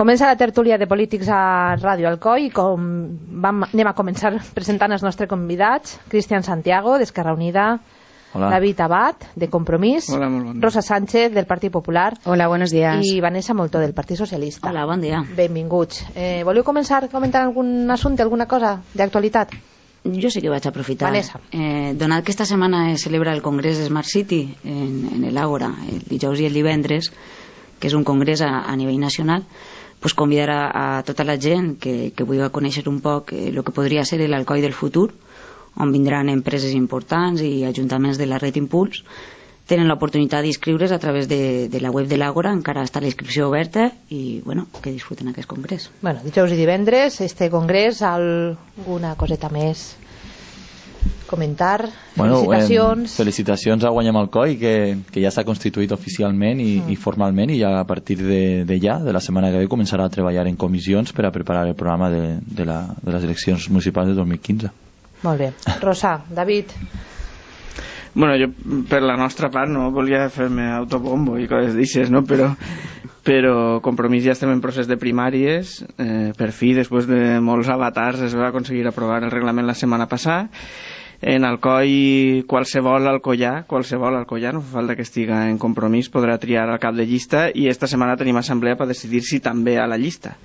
Comença la tertúlia de polítics a Ràdio Alcoi i anem a començar presentant els nostres convidats. Cristian Santiago, d'Esquerra Unida. Hola. David Abad, de Compromís. Hola, molt bon dia. Rosa Sánchez, del Partit Popular. Hola, buenos días. I Vanessa Moltó, del Partit Socialista. Hola, bon dia. Benvinguts. Voleu començar comentant algun assumpte, alguna cosa d'actualitat? Jo sí que vaig aprofitar. Vanessa. Donat que esta setmana es celebra el Congrés Smart City en l'Àgora, el dijous i el divendres, que és un congrés a nivell nacional, pues convidar a tota la gent que vulgui conèixer un poc el que podria ser l'Alcoi del futur, on vindran empreses importants i ajuntaments de la red Impuls. Tenen l'oportunitat d'inscriure's a través de la web de l'Àgora, encara està la inscripció oberta i bueno, que disfruten aquest congrés. Bueno, dijous i divendres, este congrés, alguna coseta més comentar? Felicitacions. Felicitacions a Guanyem Alcoi, que ja s'ha constituït oficialment i formalment, i ja a partir de la setmana que ve començarà a treballar en comissions per a preparar el programa de les eleccions municipals de 2015. Molt bé. Rosa, David. Bueno, jo per la nostra part no volia fer-me autobombo i coses d'aixes, no? Però Compromís ja estem en procés de primàries. Per fi, després de molts avatars, es va aconseguir aprovar el reglament la setmana passada. En Alcoi, qualsevol alcoià, no fa falta que estiga en Compromís, podrà triar el cap de llista, i esta setmana tenim assemblea per decidir si també a la llista.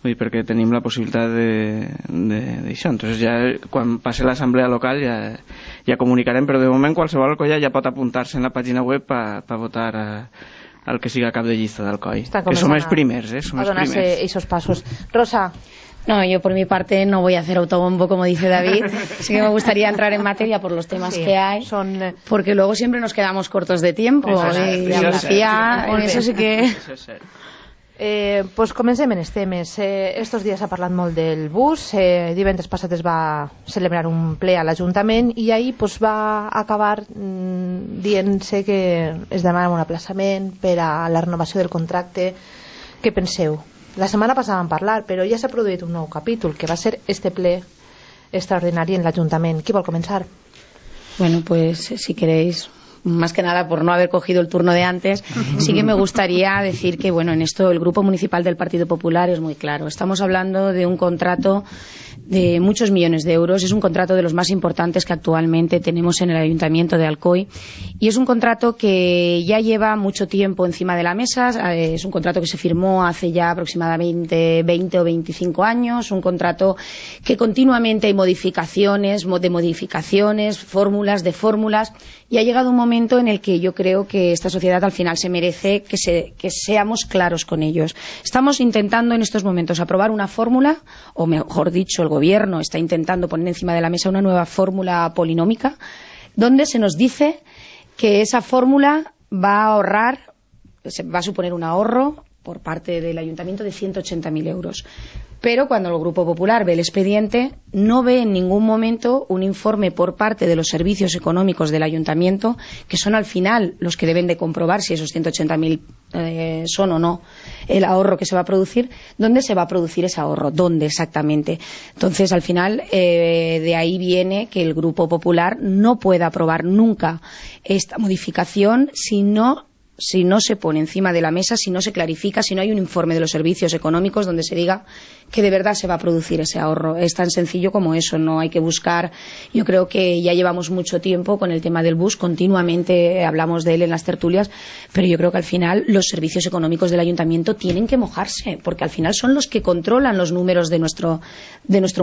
Vull dir, perquè tenim la possibilitat d'això. Entonces ja quan passi l'assemblea local ja comunicarem, però de moment qualsevol alcoià ja pot apuntar-se en la pàgina web per votar el que siga cap de llista d'Alcoi. Que som els primers, som els primers. A donar-se esos pasos. Rosa. No, yo por mi parte no voy a hacer autobombo, como dice David. Sí que me gustaría entrar en materia por los temas que hay, porque luego siempre nos quedamos cortos de tiempo. Eso sí que... Pues comencem en els temes. Estos dies s'ha parlat molt del bus. Divendres passat es va celebrar un ple a l'Ajuntament i ahir pues, va acabar dient-se que es demana un aplaçament per a la renovació del contracte. Què penseu? La setmana passada vam parlar, però ja s'ha produït un nou capítol, que va ser este ple extraordinari en l'Ajuntament. Qui vol començar? Bueno, pues si queréis, más que nada por no haber cogido el turno de antes, sí que me gustaría decir que, bueno, en esto el Grupo Municipal del Partido Popular es muy claro. Estamos hablando de un contrato de muchos millones de euros. Es un contrato de los más importantes que actualmente tenemos en el Ayuntamiento de Alcoi y es un contrato que ya lleva mucho tiempo encima de la mesa. Es un contrato que se firmó hace ya aproximadamente 20 o 25 años, un contrato que continuamente hay modificaciones, fórmulas de fórmulas, y ha llegado un momento en el que yo creo que esta sociedad al final se merece que seamos claros con ellos. Estamos intentando en estos momentos aprobar una fórmula, o mejor dicho, el Gobierno está intentando poner encima de la mesa una nueva fórmula polinómica, donde se nos dice que esa fórmula va a suponer un ahorro por parte del Ayuntamiento de 180.000 euros. Pero cuando el Grupo Popular ve el expediente, no ve en ningún momento un informe por parte de los servicios económicos del Ayuntamiento, que son al final los que deben de comprobar si esos 180.000 son o no el ahorro que se va a producir. ¿Dónde se va a producir ese ahorro? ¿Dónde exactamente? Entonces, al final, de ahí viene que el Grupo Popular no pueda aprobar nunca esta modificación si no se pone encima de la mesa, si no se clarifica, si no hay un informe de los servicios económicos donde se diga que de verdad se va a producir ese ahorro. Es tan sencillo como eso, no hay que buscar. Yo creo que ya llevamos mucho tiempo con el tema del bus, continuamente hablamos de él en las tertulias, pero yo creo que al final los servicios económicos del Ayuntamiento tienen que mojarse, porque al final son los que controlan los números de nuestro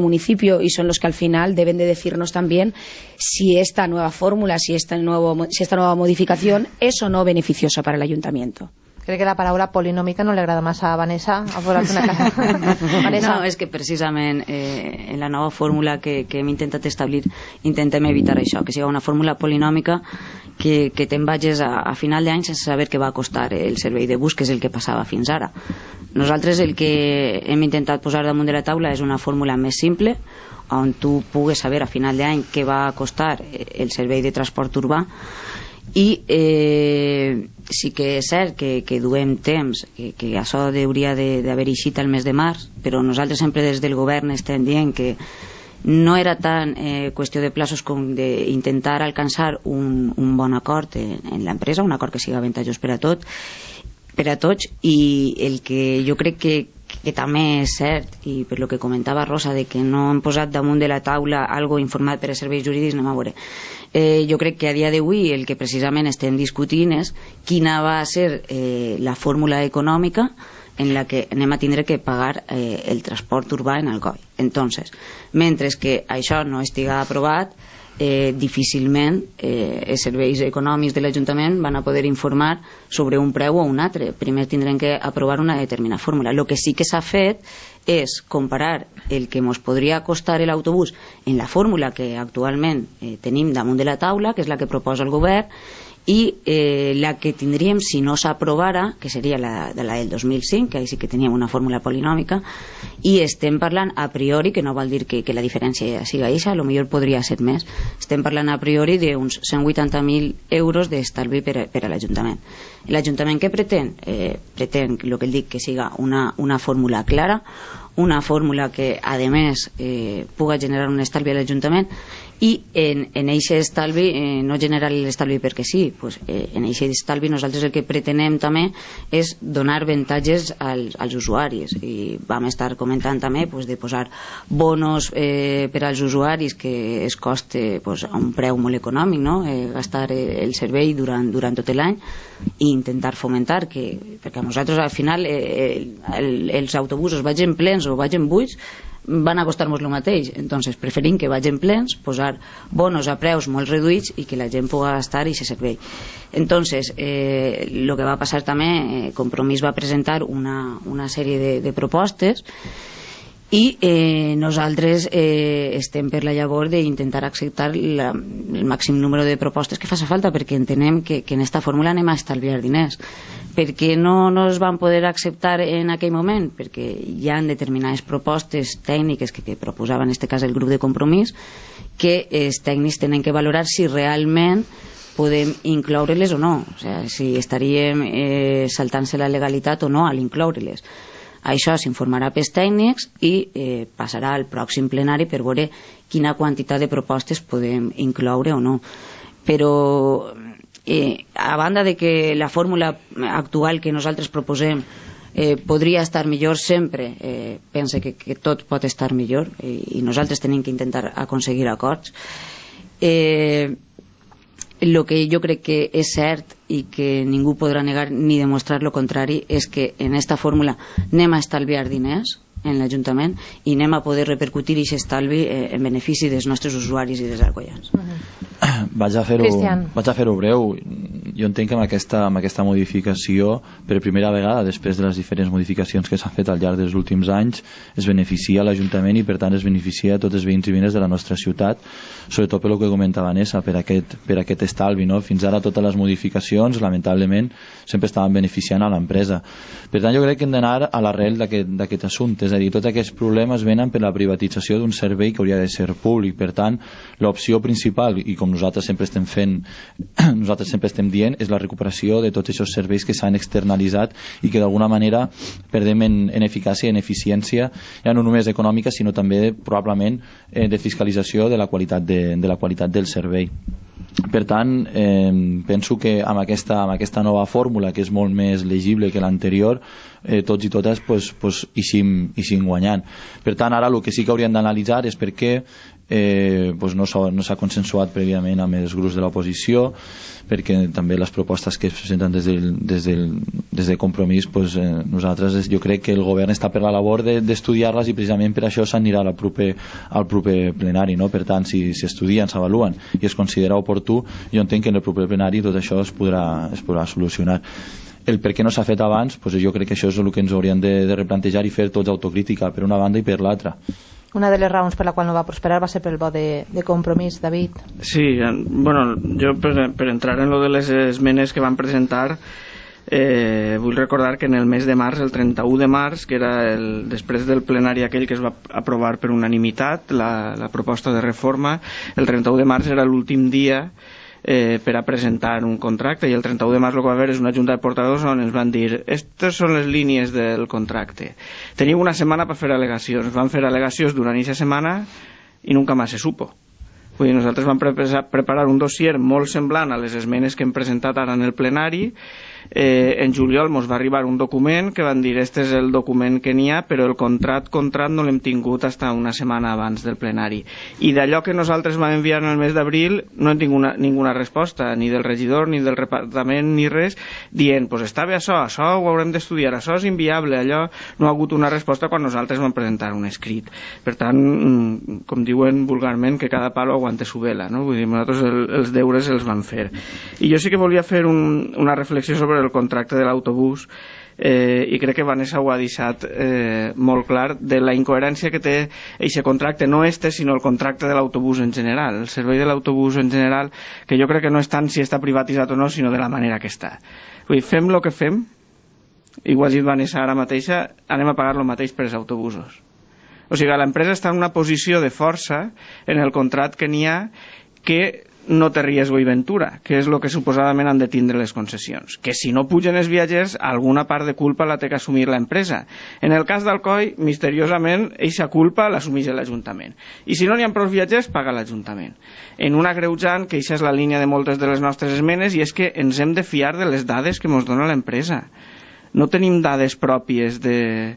municipio y son los que al final deben de decirnos también si esta nueva fórmula, si esta nueva modificación es o no beneficiosa para el Ayuntamiento. Crec que la paraula polinòmica no li agrada massa a Vanessa. No, és que precisament en la nova fórmula que hem intentat establir intentem evitar això, que sigui una fórmula polinòmica que te'n vagis a final d'any sense saber què va costar el servei de bus, que és el que passava fins ara. Nosaltres el que hem intentat posar damunt de la taula és una fórmula més simple, on tu pugues saber a final d'any què va costar el servei de transport urbà. I sí que és cert que duem temps, que això hauria d'haver eixit el mes de març, però nosaltres sempre des del govern estem dient que no era tan qüestió de plaços com d'intentar alcançar un bon acord en l'empresa, un acord que siga avantatjós per a tots, i el que jo crec que també és cert, i per lo que comentava Rosa, de que no han posat damunt de la taula algo informat per a serveis jurídics, anem a veure. Jo crec que a dia d'avui el que precisament estem discutint és quina va ser la fórmula econòmica en la que anem a tindre que pagar el transport urbà en Alcoi. Entonces, mentre que això no estiga aprovat, difícilment els serveis econòmics de l'Ajuntament van a poder informar sobre un preu o un altre. Primer tindrem que aprovar una determinada fórmula. El que sí que s'ha fet és comparar el que ens podria costar l'autobús en la fórmula que actualment tenim damunt de la taula, que és la que proposa el govern, i la que tindríem si no s'aprovara, que seria la del 2005, que ahí sí que teníem una fórmula polinòmica, i estem parlant a priori, que no vol dir que la diferència siga eixa, a lo millor podria ser més, estem parlant a priori d'uns 180.000 euros d'estalvi per a l'Ajuntament. L'Ajuntament què pretén? Pretén, el que dic, que siga una fórmula clara, una fórmula que a més puga generar un estalvi a l'Ajuntament, i en eixe estalvi no generar l'estalvi perquè sí, pues, en eixe estalvi nosaltres el que pretenem també és donar avantatges als usuaris, i vam estar comentant també pues, de posar bonos per als usuaris que es coste pues, a un preu molt econòmic, no? Gastar el servei durant tot l'any i intentar fomentar que, perquè a nosaltres al final els autobusos vagin plens o vagin buits van a costar-nos el mateix, entonces preferim que vagin plens, posar bonos a preus molt reduïts i que la gent pugui gastar i se servei. Entonces el que va passar també, Compromís va presentar una sèrie de propostes i nosaltres estem per la llavor d'intentar acceptar el màxim número de propostes que faci falta, perquè entenem que en esta fórmula anem a estalviar diners. Per què no es van poder acceptar en aquell moment? Perquè hi ha determinades propostes tècniques que proposava en aquest cas el grup de Compromís, que els tècnics tenen que valorar si realment podem incloure-les o no, o sigui, si estaríem saltant-se la legalitat o no a l'incloure-les. Això s'informarà pels tècnics i passarà al pròxim plenari per veure quina quantitat de propostes podem incloure o no. Però a banda de que la fórmula actual que nosaltres proposem podria estar millor sempre, pense que tot pot estar millor i nosaltres tenim que intentar aconseguir acords. El que jo crec que és cert i que ningú podrà negar ni demostrar lo contrari és que en esta fórmula anem a estalviar diners en l'Ajuntament i anem a poder repercutir aquest estalvi en benefici dels nostres usuaris i dels alcoians. Vaig a fer-ho breu. Jo entenc que amb aquesta modificació, per primera vegada, després de les diferents modificacions que s'han fet al llarg dels últims anys, es beneficia l'Ajuntament i per tant es beneficia a tots els veïns i veïnes de la nostra ciutat, sobretot per el que comentava Vanessa, per aquest estalvi, no? Fins ara totes les modificacions, lamentablement, sempre estaven beneficiant a l'empresa. Per tant, jo crec que hem d'anar a l'arrel d'aquest assumpte, és a dir, tots aquests problemes venen per la privatització d'un servei que hauria de ser públic. Per tant, l'opció principal, i com nosaltres sempre estem fent, nosaltres sempre estem dient, és la recuperació de tots aquests serveis que s'han externalitzat i que d'alguna manera perdem en eficàcia i en eficiència, ja no només econòmica, sinó també probablement de fiscalització de la qualitat del servei. Per tant, penso que amb aquesta nova fórmula, que és molt més legible que l'anterior, tots i totes eixim guanyant. Per tant, ara el que sí que hauríem d'analitzar és per què no s'ha consensuat prèviament amb els grups de l'oposició, perquè també les propostes que es presenten des de Compromís, nosaltres jo crec que el govern està per la labor d'estudiar-les i precisament per això s'anirà al proper plenari, no? Per tant, si s'estudien, s'avaluen i es considera oportú, jo entenc que en el proper plenari tot això es podrà solucionar. El per què no s'ha fet abans, jo crec que això és el que ens hauríem de replantejar i fer tots autocrítica per una banda i per l'altra. Una de les raons per la qual no va prosperar va ser pel vot de Compromís, David. Sí, bueno, jo per entrar en lo de les esmenes que van presentar, vull recordar que en el mes de març, el 31 de març, que era després del plenari aquell que es va aprovar per unanimitat la proposta de reforma, el 31 de març era l'últim dia per a presentar un contracte, i el 31 de març el que va haver és una junta de portadors on ens van dir aquestes són les línies del contracte, teniu una setmana per fer al·legacions. Van fer al·legacions durant aquesta setmana i nunca més se supo. Vull dir, nosaltres vam preparar un dossier molt semblant a les esmenes que hem presentat ara en el plenari. En juliol ens va arribar un document que van dir este és el document que n'hi ha, però el contract no l'hem tingut fins una setmana abans del plenari, i d'allò que nosaltres vam enviar en el mes d'abril no hem tingut ninguna resposta, ni del regidor ni del departament ni res, dient pues està bé això ho haurem d'estudiar, això és inviable, allò no ha hagut una resposta quan nosaltres vam presentar un escrit. Per tant, com diuen vulgarment, que cada palo aguante su vela, no? Vull dir, nosaltres els deures els vam fer. I jo sí que volia fer una reflexió sobre el contracte de l'autobús, i crec que Vanessa ho ha deixat molt clar, de la incoherència que té aquest contracte, no sinó el contracte de l'autobús en general, el servei de l'autobús en general, que jo crec que no és tant si està privatitzat o no, sinó de la manera que està. Vull dir, fem el que fem, i ho ha dit Vanessa ara mateixa, anem a pagar el mateix per els autobusos. O sigui, l'empresa està en una posició de força en el contracte que n'hi ha, que no té riesgo i ventura, que és el que suposadament han de tindre les concessions. Que si no pugen els viatgers, alguna part de culpa la té que assumir l'empresa. En el cas d'Alcoi, misteriosament, eixa culpa l'assumeix l'Ajuntament. I si no n'hi ha prou viatgers, paga l'Ajuntament. En un agreujant, que eixa és la línia de moltes de les nostres esmenes, i és que ens hem de fiar de les dades que ens dona l'empresa. No tenim dades pròpies de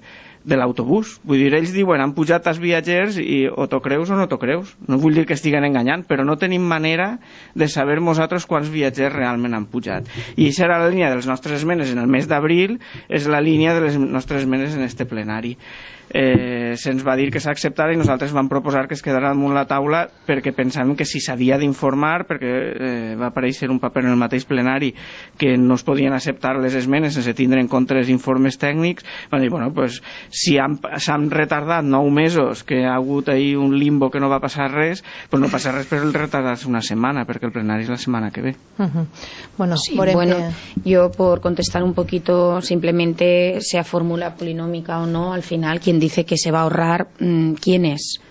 l'autobús. Vull dir, ells diuen han pujat els viatgers i o t'ho creus o no t'ho creus. No vull dir que estiguen enganyant, però no tenim manera de saber nosaltres quants viatgers realment han pujat. I això era la línia de les nostres esmenes en el mes d'abril, és la línia de les nostres esmenes en este plenari. Se'ns va dir que s'acceptara i nosaltres vam proposar que es quedara damunt la taula perquè pensàvem que si s'havia d'informar, perquè va aparèixer un paper en el mateix plenari que no es podien acceptar les esmenes sense tindre en compte els informes tècnics, van dir, bueno, pues, si s'han retardat 9 mesos, que ha hagut ahí un limbo que no va passar res, pues no passa res per el retardar-se una setmana, perquè el plenari és la setmana que ve. Bueno, yo por contestar un poquito, simplemente sea fórmula polinómica o no, al final quien dice que se va a ahorrar, ¿quién es?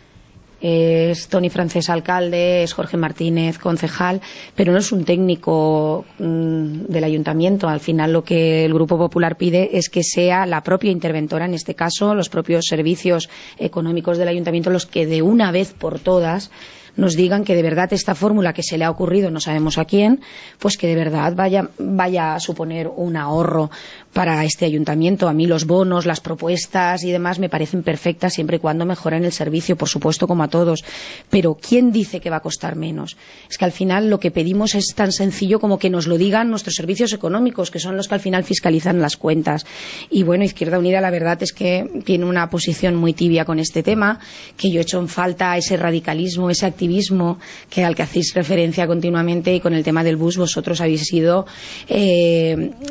Es Toni Francés, alcalde, es Jorge Martínez, concejal, pero no es un técnico del ayuntamiento. Al final lo que el Grupo Popular pide es que sea la propia interventora, en este caso los propios servicios económicos del ayuntamiento, los que de una vez por todas nos digan que de verdad esta fórmula que se le ha ocurrido, no sabemos a quién, pues que de verdad vaya a suponer un ahorro para este ayuntamiento. A mí los bonos, las propuestas y demás me parecen perfectas siempre y cuando mejoren el servicio, por supuesto, como a todos. Pero ¿quién dice que va a costar menos? Es que al final lo que pedimos es tan sencillo como que nos lo digan nuestros servicios económicos, que son los que al final fiscalizan las cuentas. Y bueno, Izquierda Unida la verdad es que tiene una posición muy tibia con este tema, que yo he hecho en falta ese radicalismo, ese activismo al que hacéis referencia continuamente, y con el tema del bus vosotros habéis sido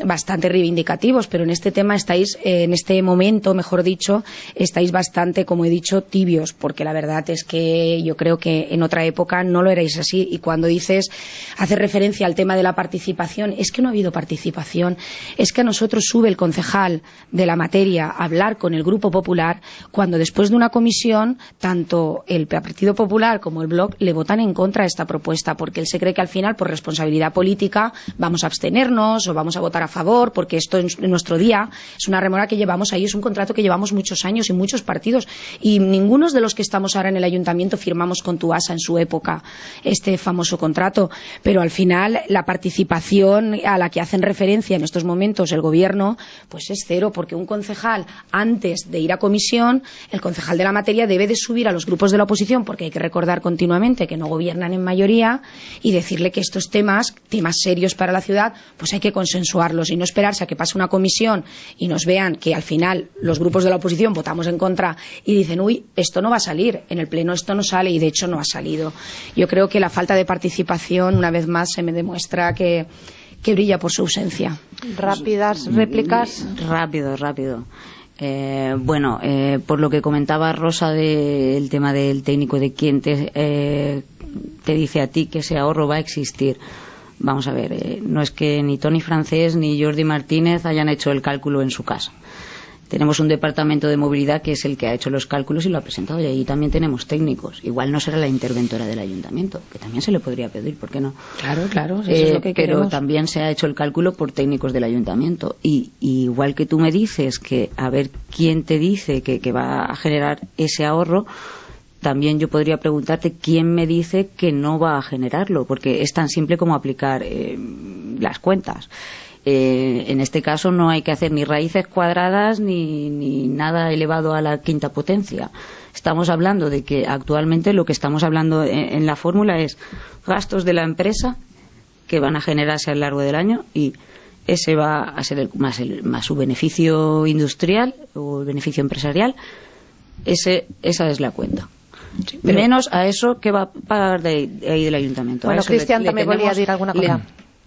bastante reivindicativos, pero en este tema estáis, en este momento, mejor dicho, estáis bastante, como he dicho, tibios, porque la verdad es que yo creo que en otra época no lo erais así. Y cuando haces referencia al tema de la participación, es que no ha habido participación, es que a nosotros sube el concejal de la materia a hablar con el Grupo Popular, cuando después de una comisión, tanto el Partido Popular como el Bloc le votan en contra de esta propuesta, porque él se cree que al final, por responsabilidad política, vamos a abstenernos o vamos a votar a favor, porque esto en nuestro día es una remora que llevamos ahí, es un contrato que llevamos muchos años y muchos partidos, y ninguno de los que estamos ahora en el ayuntamiento firmamos con Tuasa en su época este famoso contrato, pero al final la participación a la que hacen referencia en estos momentos el gobierno pues es cero, porque un concejal, antes de ir a comisión, el concejal de la materia debe de subir a los grupos de la oposición, porque hay que recordar continuamente que no gobiernan en mayoría, y decirle que estos temas serios para la ciudad, pues hay que consensuarlos y no esperarse a que pase una comisión y nos vean que al final los grupos de la oposición votamos en contra y dicen, uy, esto no va a salir, en el pleno esto no sale, y de hecho no ha salido. Yo creo que la falta de participación, una vez más, se me demuestra que brilla por su ausencia. Rápidas réplicas. Rápido. Por lo que comentaba Rosa del tema del técnico, de quién te dice a ti que ese ahorro va a existir. Vamos a ver, no es que ni Toni Francés ni Jordi Martínez hayan hecho el cálculo en su casa. Tenemos un departamento de movilidad que es el que ha hecho los cálculos y lo ha presentado, y ahí también tenemos técnicos. Igual no será la interventora del ayuntamiento, que también se le podría pedir, ¿por qué no? Claro, eso es lo que queremos. Pero también se ha hecho el cálculo por técnicos del ayuntamiento. Y igual que tú me dices que a ver quién te dice que va a generar ese ahorro, también yo podría preguntarte quién me dice que no va a generarlo, porque es tan simple como aplicar las cuentas. En este caso no hay que hacer ni raíces cuadradas ni nada elevado a la quinta potencia. Estamos hablando de que actualmente lo que estamos hablando en la fórmula es gastos de la empresa que van a generarse a lo largo del año, y ese va a ser más su beneficio industrial o el beneficio empresarial. Esa es la cuenta. Sí, menos a eso que va a pagar de ahí del ayuntamiento. Bueno, Cristian también volvía a decir alguna cosa.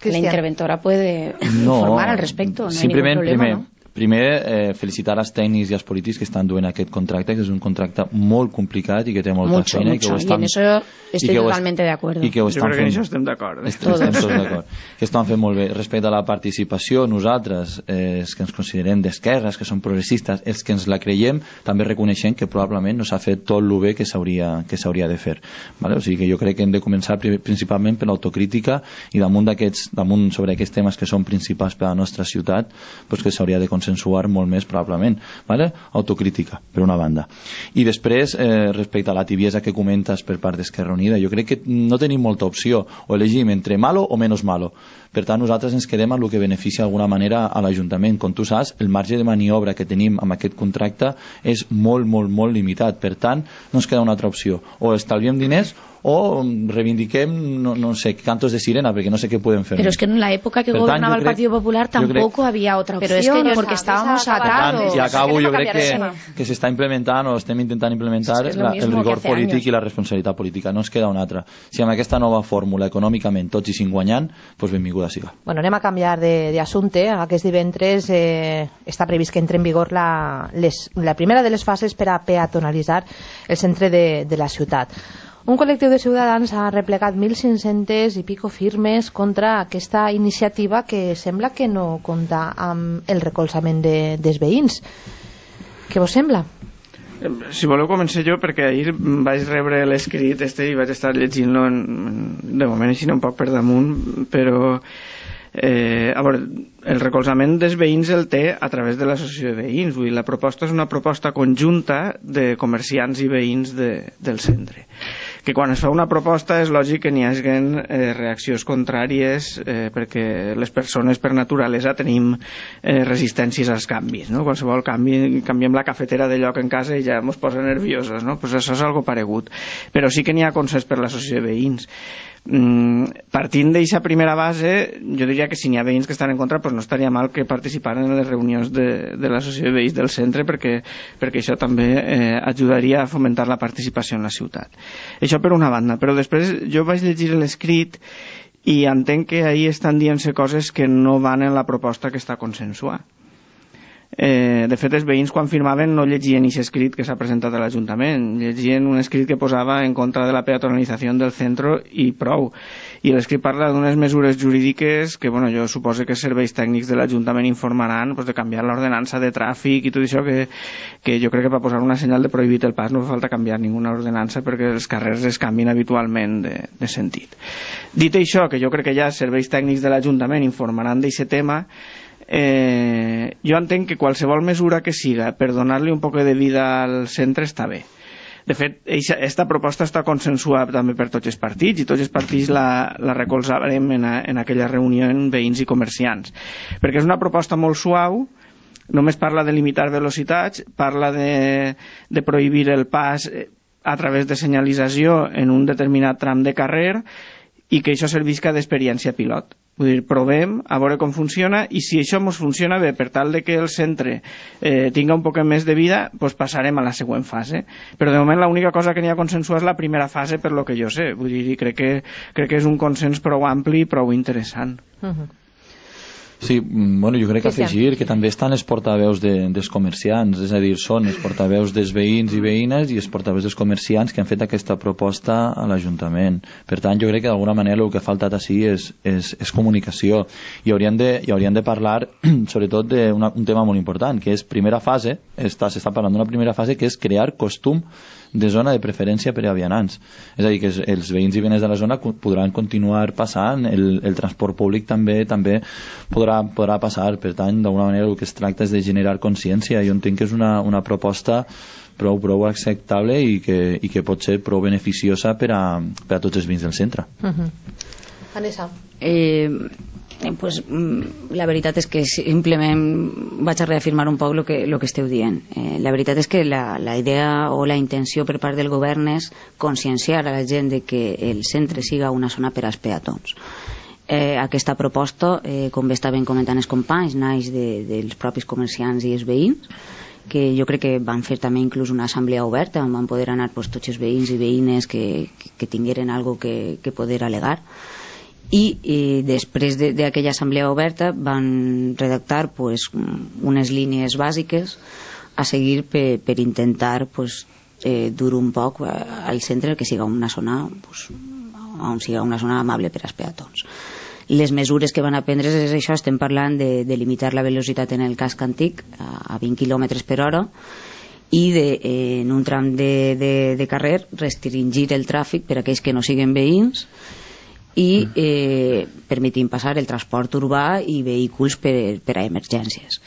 La interventora puede informar al respecto, no hay ningún problema, ¿no? Primer, felicitar els tècnics i els polítics que estan duent aquest contracte, que és un contracte molt complicat i que té molta feina. Y en eso estoy totalmente de acuerdo. Jo crec que en això estem d'acord. Estem tots d'acord. Que estan fent molt bé. Respecte a la participació, nosaltres, els que ens considerem d'esquerres, que som progressistes, els que ens la creiem, també reconeixem que probablement no s'ha fet tot el bé que s'hauria de fer. Vale? O sigui que jo crec que hem de començar principalment per l'autocrítica, i damunt sobre aquests temes que són principals per a la nostra ciutat, doncs que s'hauria de consensuar molt més probablement, ¿vale? Autocrítica, per una banda. I després, respecte a la tibiesa que comentes per part d'Esquerra Unida, jo crec que no tenim molta opció, o elegim entre malo o menos malo. Per tant, nosaltres ens quedem amb el que beneficia d'alguna manera a l'Ajuntament. Com tu saps, el marge de maniobra que tenim amb aquest contracte és molt, molt, molt limitat. Per tant, no ens queda una altra opció. O estalviem diners o reivindiquem, no sé, cantos de sirena, porque no sé qué pueden hacer. Pero es que en la época que gobernaba el Partido Popular tampoco había otra opción, pero es que porque estábamos atados. Y acabo, yo creo que se está implementando, o estem intentant implementar el rigor polític i la responsabilitat política. No ens queda una altra. Si amb aquesta nova fórmula econòmicament tots hi sin guanyant, doncs benvinguda siga. Bueno, anem a canviar d'assumpte. Aquest divendres està previst que entre en vigor la primera de les fases per a peatonalitzar el centre de la ciutat. Un col·lectiu de ciutadans ha replegat 1.500 i pico firmes contra aquesta iniciativa que sembla que no compta amb el recolzament dels veïns. Què vos sembla? Si voleu començar jo, perquè ahir vaig rebre l'escrit i vaig estar llegint-lo de moment així un poc per damunt, però a veure, el recolzament dels veïns el té a través de l'associació de veïns. Vull dir, la proposta és una proposta conjunta de comerciants i veïns del centre, que quan es fa una proposta és lògic que n'hi hagin reaccions contràries, perquè les persones per naturalesa tenim resistències als canvis, no? Qualsevol canvi, canviem la cafetera de lloc en casa i ja ens posa nerviosos, no? Pues això és algo paregut, però sí que n'hi ha consens per l'associació de veïns. Partint d'aquesta primera base, jo diria que si n'hi ha veïns que estan en contra, pues no estaria mal que participaren en les reunions de l'associació de veïns del centre, perquè això també ajudaria a fomentar la participació en la ciutat. Això per una banda, però després jo vaig llegir l'escrit i entenc que ahir estan dient-se coses que no van en la proposta que està consensuada. De fet, els veïns quan firmaven no llegien aquest escrit que s'ha presentat a l'Ajuntament, llegien un escrit que posava en contra de la peatonalització del centre i prou, i l'escrit parla d'unes mesures jurídiques que, bueno, jo suposo que els serveis tècnics de l'Ajuntament informaran, pues, de canviar l'ordenança de tràfic i tot això, que jo crec que per posar una senyal de prohibit el pas no fa falta canviar ninguna ordenança perquè els carrers es canvien habitualment de sentit. Dit això, que jo crec que ja els serveis tècnics de l'Ajuntament informaran d'aquest tema, jo entenc que qualsevol mesura que siga per donar-li un poc de vida al centre està bé. De fet, aquesta proposta està consensuada també per tots els partits, i tots els partits la recolzarem en aquella reunió en veïns i comerciants, perquè és una proposta molt suau. Només parla de limitar velocitats, parla de prohibir el pas a través de senyalització en un determinat tram de carrer, i que això servisca d'experiència pilot. Vull dir, provem a veure com funciona, i si això ens funciona bé per tal de que el centre tinga un poc més de vida, doncs passarem a la següent fase. Però de moment l'única cosa que n'hi ha consensuat és la primera fase, per lo que jo sé. Vull dir, crec que és un consens prou ampli i prou interessant. Sí, bueno, jo crec que afegir que també estan els portaveus dels comerciants, és a dir, són els portaveus dels veïns i veïnes i els portaveus dels comerciants que han fet aquesta proposta a l'Ajuntament. Per tant, jo crec que d'alguna manera el que ha faltat així és comunicació, i hauríem de parlar sobretot d'un tema molt important, que és primera fase. S'està parlant d'una primera fase que és crear costum de zona de preferència per a vianants, és a dir, que els veïns i veïnes de la zona podran continuar passant, el transport públic també podrà passar. Per tant, d'alguna manera el que es tracta és de generar consciència. Jo entenc que és una proposta prou acceptable i que pot ser prou beneficiosa per a tots els veïns del centre. Vanessa? Pues, la veritat és que simplement vaig a reafirmar un poc el que esteu dient. La veritat és que la idea o la intenció per part del govern és conscienciar a la gent de que el centre siga una zona per als peatons. Aquesta proposta, com bé estaven comentant els companys, naix dels propis comerciants i els veïns, que jo crec que van fer també inclús una assemblea oberta on van poder anar tots els veïns i veïnes que tingueren alguna cosa que poder al·legar. I després d'aquella assemblea oberta van redactar unes línies bàsiques a seguir per intentar dur un poc al centre que siga una zona on siga una zona amable per als peatons. Les mesures que van a prendre és això, estem parlant de limitar la velocitat en el casc antic a 20 km per hora i en un tram de carrer restringir el tràfic per a aquells que no siguen veïns i permetim passar el transport urbà i vehicles per a emergències.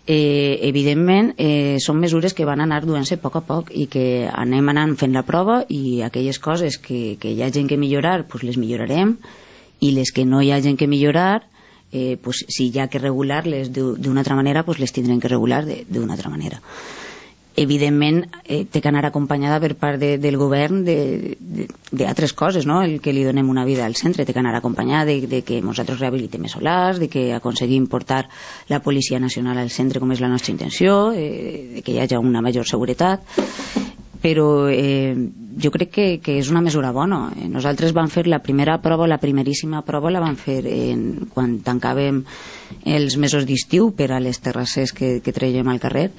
Evidentment, són mesures que van anar duent-se a poc i que anem anant fent la prova i aquelles coses que hi ha gent que millorar, les millorarem, i les que no hi ha gent que millorar, si hi ha que regular-les d'una altra manera, les tindrem que regular d'una altra manera. Evidentment té que anar acompanyada per part del govern d'altres coses, no? El que li donem una vida al centre té que anar acompanyada de que nosaltres rehabilitem els solars, de que aconseguim portar la Policia Nacional al centre com és la nostra intenció, de que hi hagi una major seguretat, però jo crec que és una mesura bona. Nosaltres vam fer la primeríssima prova la vam fer quan tancàvem els mesos d'estiu per a les terrasses que traiem al carrer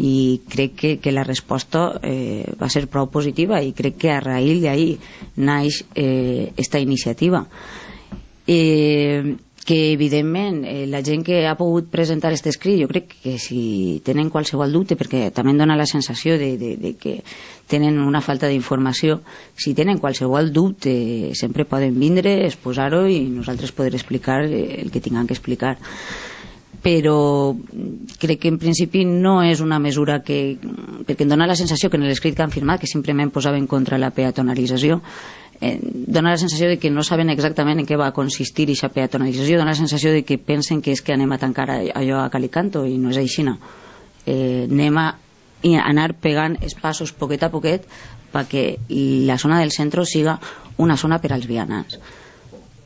i crec que la resposta va ser prou positiva i crec que a raïl d'ahir naix esta iniciativa. Que evidentment la gent que ha pogut presentar aquest escrit, jo crec que si tenen qualsevol dubte, perquè també em dona la sensació de que tenen una falta d'informació, si tenen qualsevol dubte sempre poden vindre, exposar-ho i nosaltres poder explicar el que tinguem que explicar. Però crec que en principi no és una mesura perquè em dona la sensació que en l'escrit que han firmat, que simplement posaven contra la peatonalització, dona la sensació de que no saben exactament en què va consistir aquesta peatonalització, dona la sensació de que pensen que és que anem a tancar allò a cal i canto i no és així, no. Anem a anar pegant els passos poquet a poquet perquè la zona del centre siga una zona per als vianants.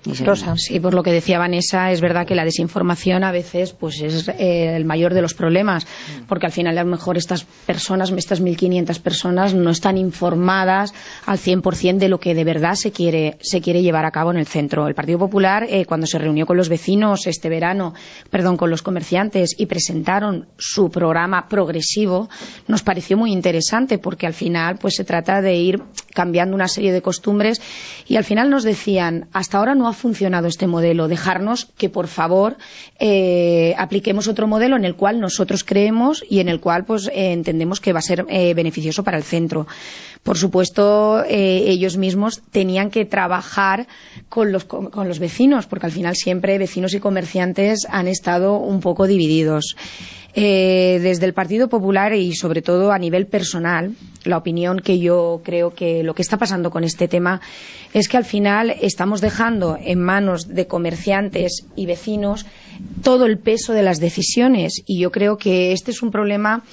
Rosa. Sí, por lo que decía Vanessa, es verdad que la desinformación a veces es el mayor de los problemas, porque al final a lo mejor estas 1.500 personas no están informadas al 100% de lo que de verdad se quiere llevar a cabo en el centro. El Partido Popular, cuando se reunió con los vecinos este verano, con los comerciantes y presentaron su programa progresivo, nos pareció muy interesante porque al final se trata de ir cambiando una serie de costumbres y al final nos decían, hasta ahora no ha funcionado este modelo, dejarnos que por favor apliquemos otro modelo en el cual nosotros creemos y en el cual entendemos que va a ser beneficioso para el centro. Por supuesto, ellos mismos tenían que trabajar con los vecinos, porque al final siempre vecinos y comerciantes han estado un poco divididos. Desde el Partido Popular y sobre todo a nivel personal, la opinión que yo creo que lo que está pasando con este tema es que al final estamos dejando en manos de comerciantes y vecinos todo el peso de las decisiones y yo creo que este es un problema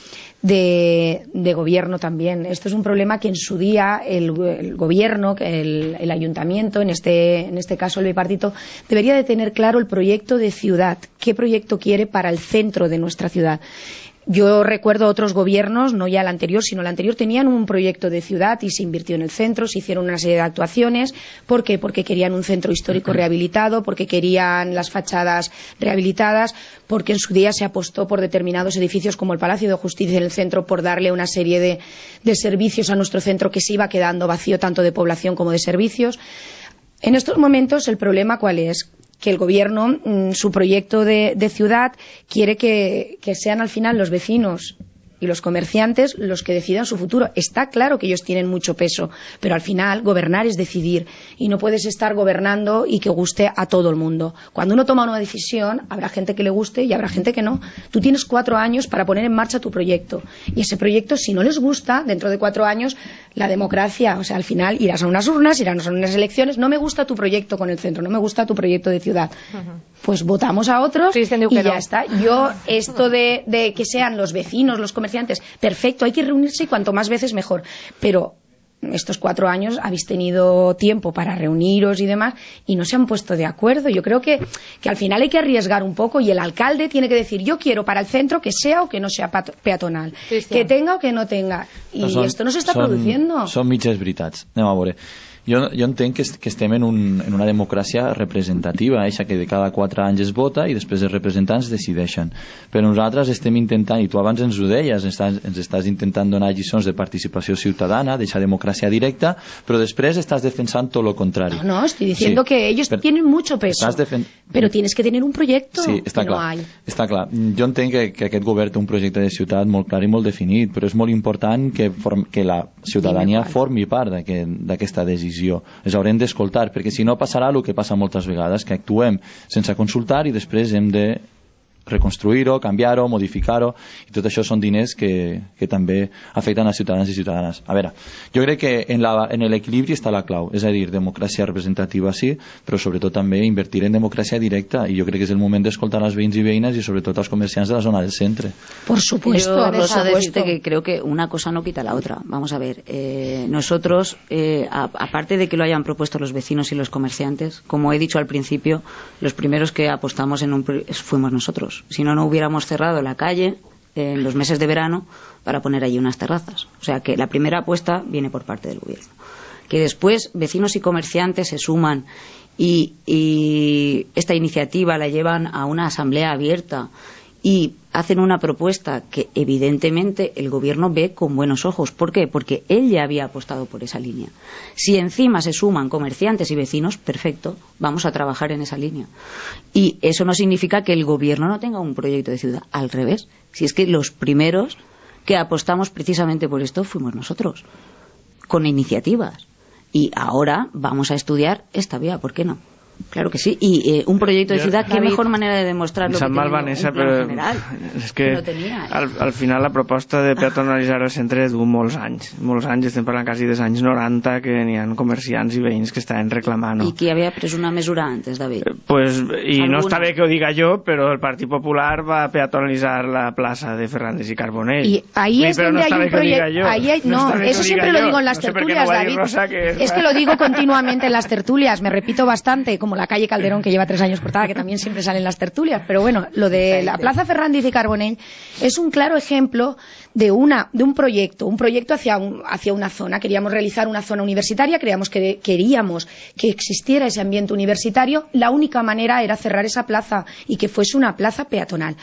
de gobierno también. Esto es un problema que en su día el gobierno, el ayuntamiento, en este caso el bipartito, debería de tener claro el proyecto de ciudad, qué proyecto quiere para el centro de nuestra ciudad. Yo recuerdo otros gobiernos, no ya el anterior, sino el anterior, tenían un proyecto de ciudad y se invirtió en el centro, se hicieron una serie de actuaciones. ¿Por qué? Porque querían un centro histórico rehabilitado, porque querían las fachadas rehabilitadas, porque en su día se apostó por determinados edificios como el Palacio de Justicia en el centro por darle una serie de servicios a nuestro centro que se iba quedando vacío tanto de población como de servicios. En estos momentos, ¿el problema cuál es? Que el gobierno, su proyecto de ciudad, quiere que sean al final los vecinos y los comerciantes los que decidan su futuro. Está claro que ellos tienen mucho peso, pero al final gobernar es decidir y no puedes estar gobernando y que guste a todo el mundo. Cuando uno toma una decisión, habrá gente que le guste y habrá gente que no. Tú tienes 4 años para poner en marcha tu proyecto y ese proyecto, si no les gusta, dentro de 4 años, la democracia, o sea, al final irás a unas urnas, irás a unas elecciones, no me gusta tu proyecto con el centro, no me gusta tu proyecto de ciudad. Pues votamos a otros y ya está. Yo, esto de que sean los vecinos, los comerciantes, perfecto, hay que reunirse y cuanto más veces mejor. Pero estos 4 años habéis tenido tiempo para reuniros y demás y no se han puesto de acuerdo. Yo creo que al final hay que arriesgar un poco y el alcalde tiene que decir yo quiero para el centro que sea o que no sea peatonal, que tenga o que no tenga. Y esto no se está produciendo. Són mitges veritats. Anem a veure. Jo entenc que estem en una democràcia representativa, eixa que de cada 4 anys es vota i després els representants decideixen. Però nosaltres estem intentant, i tu abans ens ho deies, ens estàs intentant donar lliçons de participació ciutadana, d'aquesta democràcia directa, però després estàs defensant tot lo contrari. No, estoy diciendo que ellos tienen mucho peso, pero tienes que tener un proyecto. Sí, està clar. Està clar. Jo entenc que aquest govern té un projecte de ciutat molt clar i molt definit, però és molt important que la ciutadania formi part d'aquesta decisió. Les haurem d'escoltar, perquè si no passarà el que passa moltes vegades, que actuem sense consultar i després hem de reconstruir-ho, canviar-ho, modificar-ho, i tot això són diners que també afecten a ciutadans i ciutadanes. A veure, jo crec que en l'equilibri està la clau, és a dir, democràcia representativa sí, però sobretot també invertir en democràcia directa, i jo crec que és el moment d'escoltar els veïns i veïnes y sobre tot als comerciants de la zona del centre. Por supuesto, Rosa, decirte que creo que una cosa no quita la otra. Vamos a ver, nosotros, aparte de que lo hayan propuesto los vecinos y los comerciantes, como he dicho al principio, los primeros que apostamos fuimos nosotros. Si no, no hubiéramos cerrado la calle en los meses de verano para poner allí unas terrazas. O sea que la primera apuesta viene por parte del gobierno. Que después vecinos y comerciantes se suman y esta iniciativa la llevan a una asamblea abierta y hacen una propuesta que evidentemente el gobierno ve con buenos ojos. ¿Por qué? Porque él ya había apostado por esa línea. Si encima se suman comerciantes y vecinos, perfecto, vamos a trabajar en esa línea. Y eso no significa que el gobierno no tenga un proyecto de ciudad, al revés. Si es que los primeros que apostamos precisamente por esto fuimos nosotros, con iniciativas. Y ahora vamos a estudiar esta vía, ¿por qué no? Claro que sí, y un proyecto de ciudad, qué mejor manera de demostrarlo que teniendo un plan general. És que al final la proposta de peatonalitzar el centre du molts anys, estem parlant quasi dels anys 90 que n'hi ha comerciants i veïns que estaven reclamant. I qui havia pres una mesura antes, David? I no està bé que ho diga jo, però el Partit Popular va peatonalitzar la plaça de Fernández y Carbonell. Y ahí es donde hay un proyecto. No, eso siempre lo digo en las tertulias, David. Es que lo digo continuamente en las tertulias, me repito bastante, como la calle Calderón, que lleva 3 años cortada, que también siempre salen las tertulias. Pero bueno, lo de la Plaza Fernández y Carbonell es un claro ejemplo de un proyecto hacia una zona. Queríamos realizar una zona universitaria, queríamos que existiera ese ambiente universitario. La única manera era cerrar esa plaza y que fuese una plaza peatonal.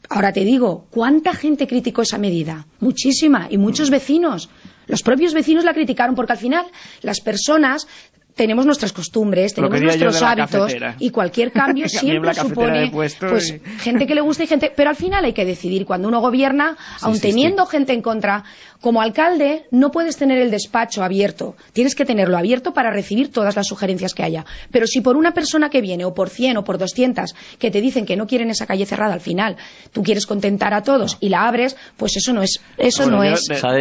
Ahora te digo, ¿cuánta gente criticó esa medida? Muchísima, y muchos vecinos. Los propios vecinos la criticaron porque al final las personas tenemos nuestras costumbres, tenemos nuestros hábitos y cualquier cambio siempre supone gente que le gusta y gente... Pero al final hay que decidir. Cuando uno gobierna, aun teniendo gente en contra, como alcalde no puedes tener el despacho abierto. Tienes que tenerlo abierto para recibir todas las sugerencias que haya. Pero si por una persona que viene, o por 100 o por 200, que te dicen que no quieren esa calle cerrada, al final tú quieres contentar a todos y la abres, pues eso no es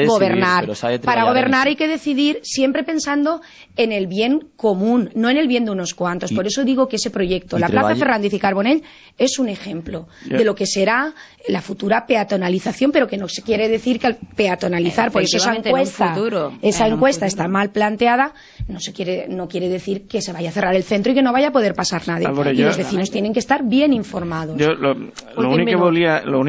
gobernar. Para gobernar hay que decidir siempre pensando en el bien común, no en el bien de unos cuantos. Por eso digo que ese proyecto, la Plaza Fernández y Carbonell, es un ejemplo de lo que será la futura peatonalización, pero que no se quiere decir que al peatonalizar, por eso esa encuesta está mal planteada, no quiere decir que se vaya a cerrar el centro y que no vaya a poder pasar nadie. Y los vecinos tienen que estar bien informados. L'únic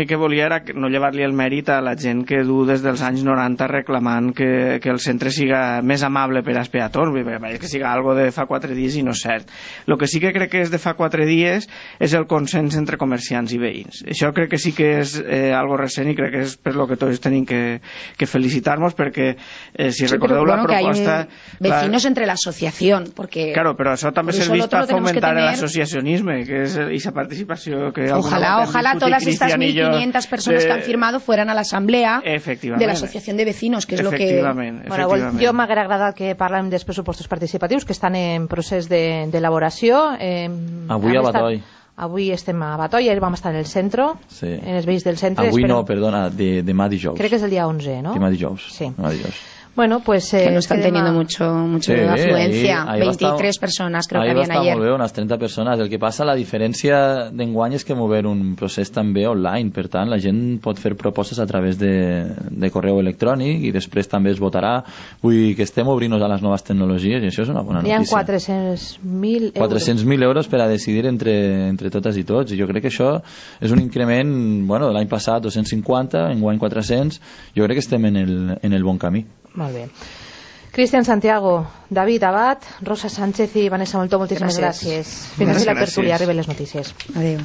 que volia era no llevar-li el mèrit a la gent que du des dels anys 90 reclamant que el centre siga més amable per als peatons, que siga algo de fa 4 dies i no és cert. El que sí que crec que és de fa 4 dies és el consens entre comerciants i veïns. Això crec que sí que és algo recent i crec que és per lo que tots tenim que felicitar-nos, perquè si recordeu la proposta... Vecinos entre la asociación, porque... Claro, però això també serveix per fomentar l'associacionisme, que és esa participació que... Ojalá todas estas 1.500 personas que han firmado fueran a la asamblea de la asociación de vecinos, que és lo que... Bueno, jo m'haguera agradat que parlem dels pressupostos participatius que estan en procés d'elaboració. Avui a Batoi. Avui estem a Batoi, ahir vam estar en el centre, en els veïns del centre. Avui no, perdona, demà dijous. Crec que és el dia 11, ¿no? Demà dijous. Sí. Demà dijous. Bueno, pues... que no están teniendo mucho afluencia. 23 personas creo que habían ayer. Ahir va estar molt bé, unes 30 persones. El que passa, la diferència d'enguany és que mover un procés també online. Per tant, la gent pot fer propostes a través de correu electrònic i després també es votarà. Vull dir que estem obrint-nos a les noves tecnologies i això és una bona notícia. Hi ha 400.000 euros. 400.000 euros per a decidir entre totes i tots. I jo crec que això és un increment, bueno, l'any passat 250, enguany 400. Jo crec que estem en el bon camí. Molt bé. Cristian Santiago, David Abad, Rosa Sánchez i Vanessa Moltó, moltíssimes gràcies. Fins aquí la tertúlia, arriben les notícies. Adéu.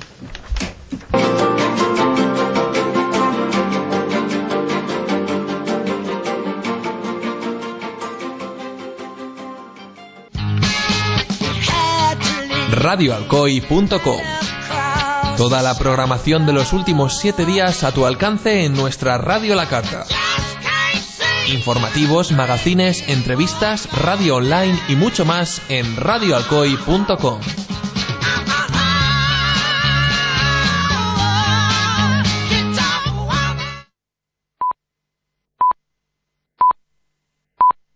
radioalcoy.com. Toda la programación de los últimos 7 días a tu alcance en nuestra Radio La Carta. Informativos, magazines, entrevistas, radio online y mucho más en radioalcoy.com.